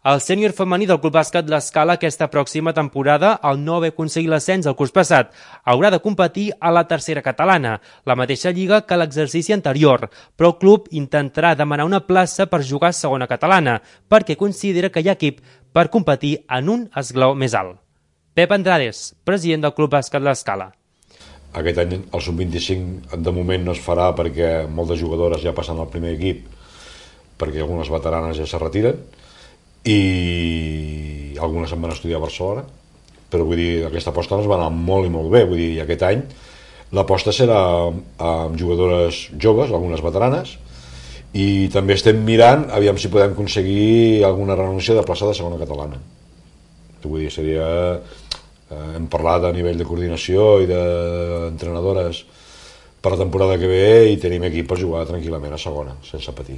El sènior femení del Club Bàsquet l'Escala aquesta pròxima temporada, al no haver aconseguit l'ascens el curs passat, haurà de competir a la tercera catalana, la mateixa lliga que l'exercici anterior, però el club intentarà demanar una plaça per jugar a segona catalana, perquè considera que hi ha equip per competir en un esglaó més alt. Pep Andrades, president del Club Bàsquet l'Escala. Aquest any el sub-25 de moment no es farà perquè moltes jugadores ja passen al primer equip, perquè algunes veteranes ja se retiren, i algunes se'n van estudiar a Barcelona, però vull dir, aquesta aposta ens va anar molt i molt bé, vull dir, aquest any l'aposta serà amb jugadores joves, algunes veteranes, i també estem mirant aviam si podem aconseguir alguna renúncia de plaça de segona catalana. Vull dir, seria... hem parlat a nivell de coordinació i d'entrenadores per la temporada que ve i tenim equip per jugar tranquil·lament a segona, sense patir.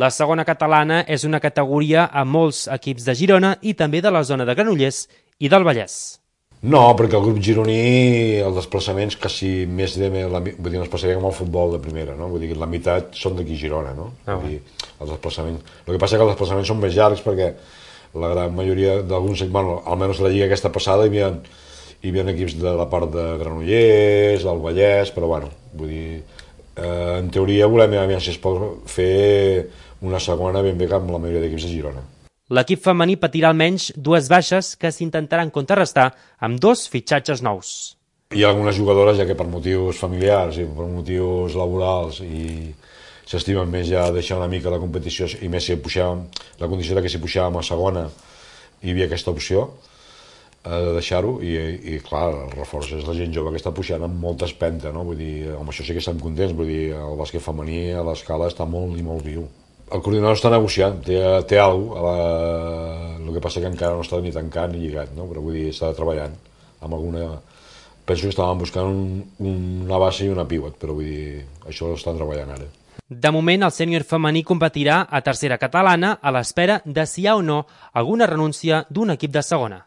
La segona catalana és una categoria amb molts equips de Girona i també de la zona de Granollers i del Vallès. No, perquè el grup gironí, els desplaçaments quasi més de... Vull dir, ens passaria com el futbol de primera, no? Vull dir, la meitat són d'aquí Girona, no? Vull dir, els desplaçaments... El que passa és que els desplaçaments són més llargs perquè la gran majoria d'alguns... Bueno, almenys la lliga aquesta passada hi havia equips de la part de Granollers, del Vallès, però bueno, vull dir... en teoria volem aviam si es pot fer una segona ben bé amb la majoria d'equips de Girona. L'equip femení patirà almenys dues baixes que s'intentaran contrarrestar amb 2 fitxatges nous. Hi ha algunes jugadores ja que per motius familiars i per motius laborals i s'estimen més ja deixar una mica la competició i més si pujàvem, la condició que si pujàvem a segona hi havia aquesta opció de deixar-ho i clar, el reforç és la gent jove que està pujant amb molta espenta, no? Vull dir, amb això sí que estem contents, vull dir, el bàsquet femení a l'Escala està molt i molt viu. El coordinador està negociant, té alguna cosa, el que passa que encara no està ni tancat ni lligat, no? Però vull dir, està treballant amb alguna... Penso que estàvem buscant una base i una pivot, però vull dir, això ho estan treballant ara. De moment, el sènior femení competirà a tercera catalana a l'espera de si hi ha o no alguna renúncia d'un equip de segona.